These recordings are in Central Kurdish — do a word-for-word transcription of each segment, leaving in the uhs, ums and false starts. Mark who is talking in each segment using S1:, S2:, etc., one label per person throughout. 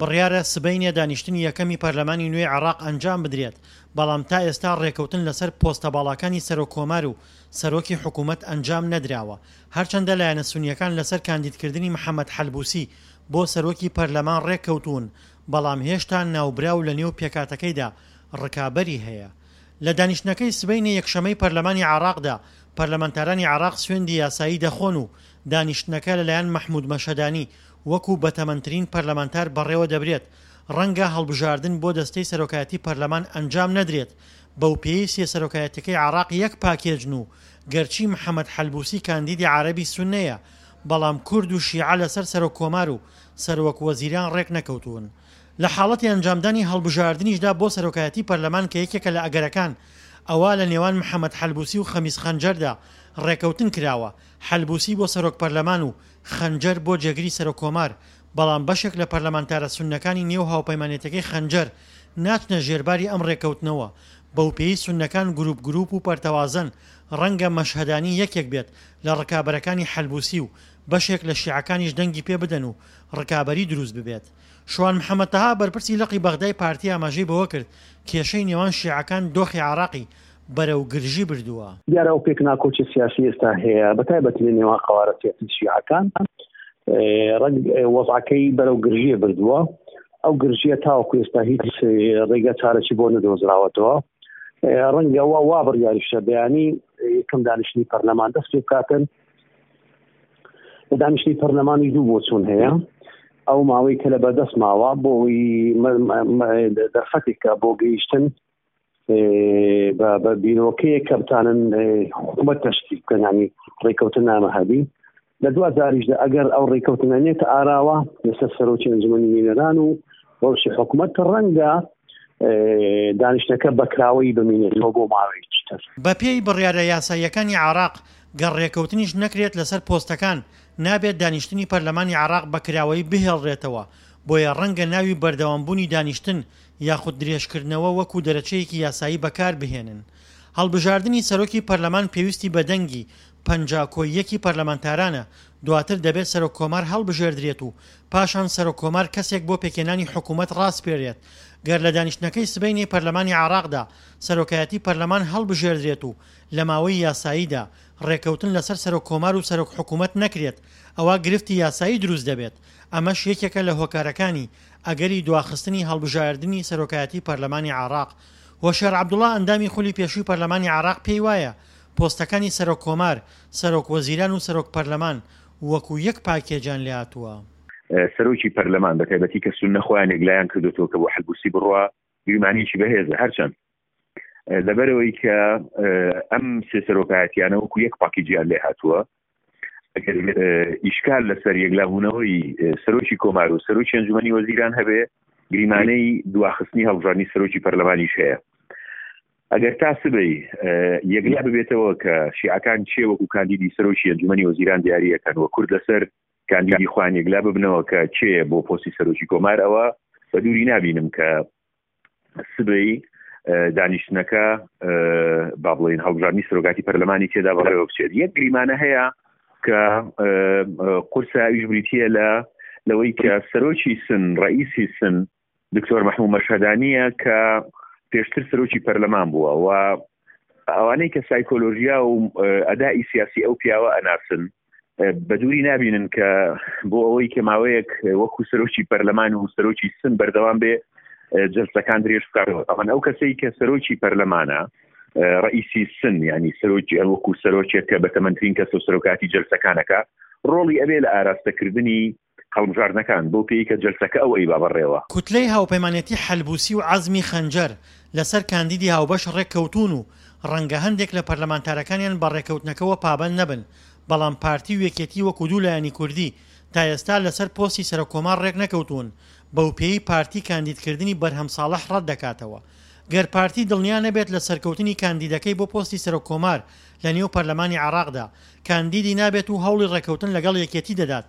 S1: بڕیارە سبەینێ دانیشتنی یەکەمی پەرلەمانی نوێی عێراق ئەنجام بدرێت، بەڵام تا ئێستا ڕێکەوتن لەسەر پۆستە باڵاکانی سەرۆک کۆمار و سەرۆکی حکوومەت ئەنجام نەدراوە. هەرچەندە لایەنە سونییەکان لەسەر کاندیدکردنی محەمەد حەلبوسی بۆ سەرۆکی پەرلەمان ڕێککەوتوون، بەڵام هێشتا ناوبراو لەنێو پێکهاتەکەیدا ڕکابەری هەیە. لە دانیشتنەکەی سبەینێ یەکشەمەی پەرلەمانی عێراقدا، پەرلەمانتارانی عێراق سوێندی یاسایی دەخۆن و دانیشتنەکە لەلایەن مەحمود مەشهەدانی وەکو بەتەمەنترین پەرلەمانتار بەڕێوەدەبرێت. ڕەنگە هەڵبژاردن بۆ دەستەی سەرۆکایەتی پەرلەمان ئەنجام نەدرێت، بەوپێیەی سێ سەرۆکایەتیەکەی عێراق یەک پاکێجن و گەرچی محەمەد حەلبوسی کاندیدی عەرەبی سوننەیە، بەڵام کورد و شیعە لەسەر سەرۆک کۆمار و سەرۆک وەزیران ڕێکنەکەوتوون. لە حاڵەتی ئەنجامدانی هەڵبژاردنیشدا بۆ سەرۆکایەتی پەرلەمان کە یەکێکە لە ئەگەرەکان، ئەوا لە نێوان محەمەد حەلبوسی و خەمیس خەنجەردا ڕێکەوتن کراوە، حەلبوسی بۆ سەرۆک پەرلەمان و خەنجەر بۆ جێگری سەرۆک کۆمار، بەڵام بەشێک لە پەرلەمانتارە سوننەکانی نێو هاوپەیمانێتیەکەی خەنجەر ناچنە ژێرباری ئەم ڕێکەوتنەوە، بەوپێیەی سوننەکان گروپ گروپ و پەرتەوازەن، ڕەنگە مەشهەدانی یەکێک بێت لە ڕکابەرەکانی حەلبوسی و بەشێک لە شیعەکانیش دەنگی پێ بدەن و ڕکابەری دروست ببێت. شوان محەمەد تەها بەرپرسی لقی بەغدای پارتی ئاماژەی بەوەکرد، کێشەی نێوان شیعەکان دۆخی عێراقی بەرەو گرژی بردووە.
S2: دیارە ئەو پێکناکۆکی سیاسی ئێستا هەیە بەتایبەتی لە نێوان قەوارە سیاسی شیعەکان ڕەنگ وەزعەکەی بەرەو گرژیە بردووە. ئەو گرژیە تاوەکو ئێستا هیچ ڕێگە چارەکی بۆ نەدۆزراوەتەوە. ڕەنگە وا وا بڕیاریشە بەیانی یەکەم دانیشتنی پەرلەمان دەست پێ بکاتن. لە دانیشتنی پەرلەمانی دوو بۆچوون هەیە. ئەو ماوەی کە لە بەردەست ماوە بۆ دەرفەتێکە بۆ گەیشتن بە بیرۆکەیەک کە بتانن حکوومەت تەشکیل بکەن، یعنی ڕێککەوتن نامە هەبی. لە دوا جاریشدا ئەگەر ئەو ڕێککەوتنە نێتە ئاراوە لەسەر سەرۆکی ئەنجومەنی نوێنەران و ڕەوشی حکوومەت، ڕەنگە دانیشتنەکە بەکراوەی بمێنێتەوە بۆ ماوەیەکی تر.
S1: بەپێی بڕیارە یاساییەکانی عێراق، گەر ڕێککەوتنیش نەکرێت لەسەر پۆستەکان، نابێت دانیشتنی پەرلەمانی عێراق بەکراوەیی بهێڵرێتەوە، بۆیە ڕەنگە ناوی بەردەوامبوونی دانیشتن یاخود درێژکردنەوە وەکو دەرەچەیەکی یاسایی بەکاربهێنن. هەڵبژاردنی سەرۆکی پەرلەمان پێویستی بە دەنگی پەنجا کۆی یەکی پەرلەمانتارانە، دواتر دەبێت سەرۆک کۆمار هەڵبژێردرێت و پاشان سەرۆک کۆمار کەسێک بۆ پێکهێنانی حکوومەت ڕاسپێرێت. گەر لە دانیشتنەکەی سبەینێی پەرلەمانی عێراقدا سەرۆکایەتی پەرلەمان هەڵبژێردرێت و لە ماوەی یاساییدا ڕێکەوتن لەسەر سەرۆک کۆمار و سەرۆک حکوومەت نەکرێت، ئەوا گرفتی یاسایی دروست دەبێت، ئەمەش یەکێکە لە هۆکارەکانی ئەگەری دواخستنی هەڵبژاردنی سەرۆکایەتی پەرلەمانی عێراق. هۆشیار عەبدوڵا ئەندامی خولی پێشووی پەرلەمانی عێراق پێی وایە پۆستەکانی سەرۆک کۆمار، سەرۆک وەزیران و سەرۆک پەرلەمان وەکو یەک پاکێجیان لێهاتووە.
S3: سەرۆکی پەرلەمان بە تایبەتی کە سوننە خۆیان یەکلایان کردوتەوە کە بۆ حەلبوسی بڕوا، گریمانەیەکی بەهێزە. هەرچەند لەبەرەوەی کە ئەم سێ سەرۆکایەتیانە وەکو یەک پاکێجیان لێ هاتووە، ئەگەر ئیشکال لەسەر یەکلابوونەوەی سەرۆکی کۆمار و سەرۆکی ئەنجومەنی وەزیران هەبێ، گریمانەی دواخستنی هەڵبژاردنی سەرۆکی پەرلەمانیش هەیە. ئەگەر تا سبەی یەکلا ببێتەوە کە شیعەکان چێ وەکو کاندیدی سەرۆکی ئەنجومەنی وەزیران دیاریەکەن و کورد لەسەر کاندیدی خۆیان یەکلا ببنەوە کە چێ بۆ پۆستی سەرۆکی کۆمار، ئەوە بە دووری نابینم کە سبەی دانیشتنەکە با بڵێین هەڵبژاردنی سەرۆکاتی پەرلەمانی تێدا بەڕێوە بچێت. یەک گریمانە هەیە کە قورسە، ئەویش بریتییە لە لەوەی کە سەرۆکی سن، ڕئیسی سن دکتۆر مەحموو مەشهەدانییە کە پێشتر سەرۆکی پەرلەمان بووە و ئەوانەی کە سایکۆلۆژیا و ئەدای سیاسی ئەو پیاوە ئەناسن بە دووری نابینن کە بۆ ئەوەی کە ماوەیەک وەکو سەرۆکی پەرلەمان و سەرۆکی سن بەردەوام بێ جلسەکان درێژ بکاتەوە. ئەوان ئەو کەسەی کە سەرۆکی پەرلەمانە، ڕئیسی سن، یعنی سەرۆکی وەکو سەرۆکێک کە بەتەمەنترین کەس و سەرۆکاتی جلسەکانەکە، ڕۆڵی ئەبێ لە ئاراستەکردنی هەڵبژاردنەکان بۆ پێی کە جلسەکە ئەو ئەیبا بەڕێوە.
S1: کوتلەی هاوپەیمانێتی حەلبوسی و عەزمی خەنجەر لەسەر کاندیدی هاوبەش ڕێککەوتوون و ڕەنگە هەندێک لە پەرلەمانتارەکانیان بە ڕێککەوتنەکەوە پابەند نەبن، بەڵام پارتی و یەکێتی وەکو دوو لایەنی کوردی تا ئێستا لەسەر پۆستی سەرۆککۆمار ڕێکنەکەوتوون، بەوپێیەی پارتی کاندیدکردنی بەرهەم ساڵح ڕەتدەکاتەوە. گەر پارتی دڵنیا نەبێت لە سەرکەوتنی کاندیدەکەی بۆ پۆستی سەرۆککۆمار لە نێو پەرلەمانی عێراقدا، کاندیدی نابێت و هەوڵی ڕێککەوتن لەگەڵ یەکێتی دەدات،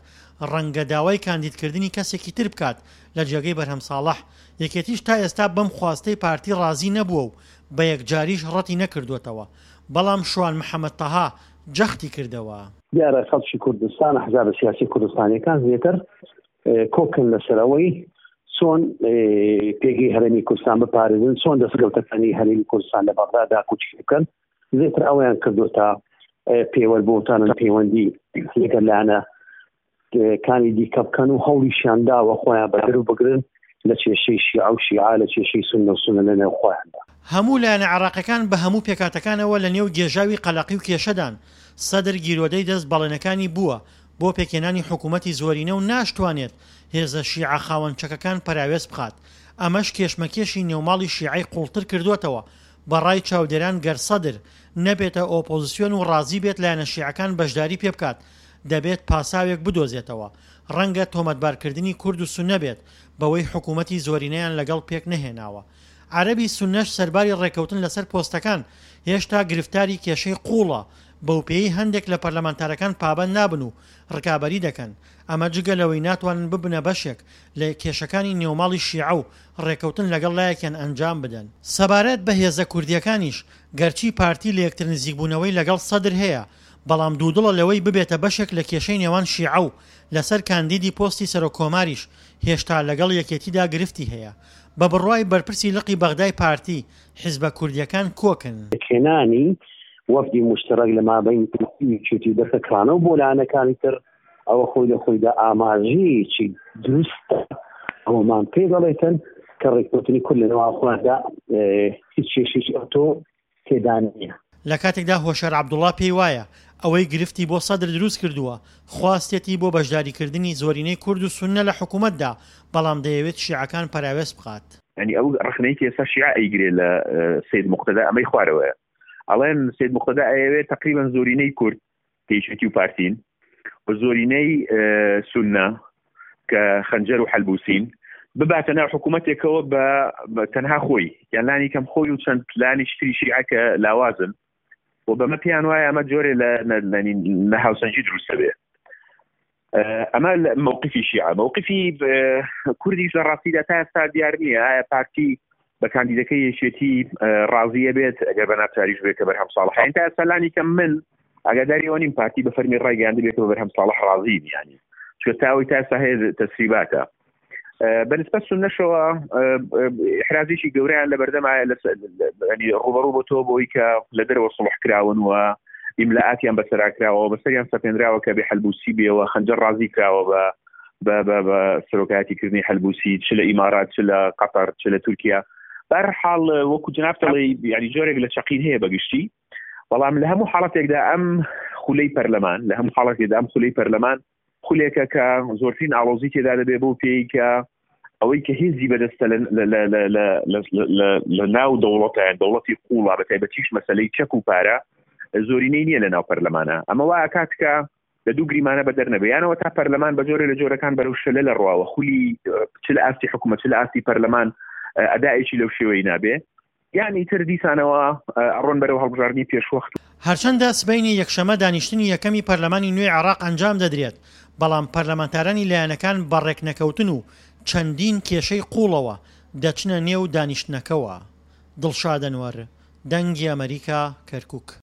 S1: ڕەنگە داوای کاندیدکردنی کەسێکی تر بکات لە جێگەی بەرهەم ساڵح. یەکێتیش تا ئێستا بەم خواستەی پارتی ڕازی نەبووە و بە یەکجاریش ڕەتی نەکردووەتەوە. بەڵام شوان محەمەد تەها جەختی کردەوە.
S2: دیارە خەڵکی کوردستان، ئەحزابە سیاسی کوردستانیەکان زیاتر کۆکن لەسەر ئەوەی چۆن پێگەی هەرێمی کوردستان بپارێزن، چۆن دەستکەوتەکانی هەرێمی کوردستان لە بەغدا داکۆکی بکەن. زیاتر ئەوەیان کردوتە پێوەر بۆتانن پەیوەندی لەگەڵ لایەنە کانی دیکە بکەن و هەوڵیشیان داوە خۆیان بەدەر بگرن لە کێشەی شیعە و شیعە، لە کێشەی سوننە و سوننە لەنێو خۆیاندا.
S1: هەموو لایەنە عێراقیەکان بە هەموو پێکهاتەکانەوە لە نێو گێژاوی قەلەقی و کێشەدان، سەدر گیرۆدەی دەست بەڵێنەکانی بووە بۆ پێکهێنانی حکوومەتی زۆرینە و ناشتوانێت هێزە شیعە خاوەن چەکەکان پەراوێز بخات، ئەمەش کێشمەکێشی نێوماڵی شیعەی قوڵتر کردووەتەوە، بە ڕای چاودێران گەر سەدر نەبێتە ئۆپۆزسیۆن و ڕازی بێت لایەنە شیعەکان بەشداری پێبکات دەبێت پاساوێک بدۆزێتەوە، ڕەنگە تۆمەتبارکردنی کورد و سوننە بێت بەوەی حکوومەتی زۆرینەیان لەگەڵ پێکنەهێناوە. عەرەبی سوننەش سەرباری ڕێککەوتن لەسەر پۆستەکان، هێشتا گرفتاری کێشەی قووڵە، بەوپێیەی هەندێک لە پەرلەمانتارەکان پابەند نابن و ڕکابەری دەکەن، ئەمە جگە لەوەی ناتوانن ببنە بەشێک لە کێشەکانی نێوماڵی شیعە و ڕێککەوتن لەگەڵ لایەکیان ئەنجام بدەن. سەبارەت بە هێزە کوردییەکانیش، گەرچی پارتی لەیەکترنزیکبوونەوەی لەگەڵ سەدر هەیە، بەڵام دوودڵە لەوەی ببێتە بەشێک لە کێشەی نێوان شیعە و لەسەر کاندیدی پۆستی سەرۆککۆماریش هێشتا لەگەڵ یەکێتیدا گرفتی هەیە. بە بڕوای بەرپرسی لقی بەغدای پارتی، حیزبە کوردییەکان کۆکن.
S2: پێکهێنانی وەفدی موشتەرەک لە مابەین یەکێتی و دەسەکانەوە بۆ لایەنەکانی تر، ئەوە خۆی لە خۆیدا ئاماژەیەکی دروستە ئەومان پێ دەڵێتن کە ڕێککەوتنی کورد لە نێوان خۆیاندا هیچ کێشەیەکی ئەوتۆ تێدا نییە.
S1: لە کاتێکدا هۆشیار عەبدوڵا پێی وایە ئەوەی گرفتی بۆ سەدر دروست کردووە، خواستێتی بۆ بەشداریکردنی زۆرینەی کورد و سوننە لە حکومەتدا، بەڵام دەیەوێت شیعەکان پەراوێز بخات.
S3: یانی ئەو ڕەخنەی کە ئێستا شیعە ئەیگرێ لە سەید موقتەدا ئەمەی خوارەوەیە، ئەڵێن سەید موقتەدا ئەیەوێت تەقریبەن زۆرینەی کورد کە یەکێتی و پارتین و زۆرینەی سوننە کە خەنجەر و حەلبوسین بباتە ناو حکوومەتێکەوە بە تەنها خۆی، یان لانی کەم خۆی و چەند لانی تری شیعە کە لاوازن، و بەمە پێیان وایە ئەمە جۆرێ لە لە هاوسەنگی دروستە بێ. ئەمە مووقفی شیعە. مووقفی کوردیش لە ڕاستیدا تا ئێستا دیار نییە ئایا پارتی بە کاندیدەکەی یەکێتی ڕازیە بێت ئەگەر بە ناچاریش بێت کە بەرهەم ساڵح. تا ئێستا لانی کەم من ئاگاداری ئەوە نیم پارتی بە فەرمی ڕایگەیاندبێت کە بە بەرهەم ساڵح ڕازی نیانی، چونکە تا ئەوەی تا ئێستا هەیە تەسریباتە. بەنسبەت سوننەشەوە ئیحرازێکی گەورەیان لە بەردەمایە ینی ڕوبەڕوو بۆ تۆ بۆی کە لە دەرەوە سڵح کراون و ئیملاعاتیان بەسەرا کراوە، بەسەریان سەپێنراوە کە بێ حەلبوسی بێەوە، خەنجەر ڕازی کراوە بە بە بە بە سەرۆکایەتیکردنی حەلبوسی چ لە ئیمارات چ لە قەتەر چ لە تورکیا. بەهەرحاڵ وەکو جناب دەڵێی یعنی جۆرێک لە چەقین هەیە بەگشتی، بەڵام لە هەموو حاڵەتێکدا ئەم خولەی پەرلەمان لە هەموو حاڵەتێکدا ئەم خولەی پەرلەمان خولێکە کە زۆرترین ئاڵۆزی تێدا دەبێ بۆ پێی کە ئەوەی کە هێزی بەدەستە لە ناو دەوڵەتە، دەوڵەتی قوڵا بە تایبەتیش مەسلەی چەک و پارە زۆرینەی نییە لە ناو پەرلەمانە. ئەمە وا ئەکات کە لە دوو گریمانە بەدەر نەبێ، یانەوە تا پەرلەمان بە جۆرێ لە جۆرەکان بەرەو شەلە لە ڕواوە خولی چ لە ئاستی حکوومەت چ لە ئاستی پەرلەمان ئەدایەکی لەو شێوەی نابێ، یانی تر دیسانەوە ئەڕۆن بەرەو هەڵبژاردنی پێشوەخت.
S1: هەرچەندە سبەینێ یەکشەمە دانیشتنی یەکەمی پەرلەمانی نوێی عێراق ئەنجام دەدرێت، بەڵام پەرلەمانتارانی لایەنەکان بە ڕێکنەکەوتن و چەندین کێشەی قووڵەوە دەچنە نێو دانیشتنەکەوە. دڵشاد ئەنوەر، دەنگی ئەمەریکا، کەرکوک.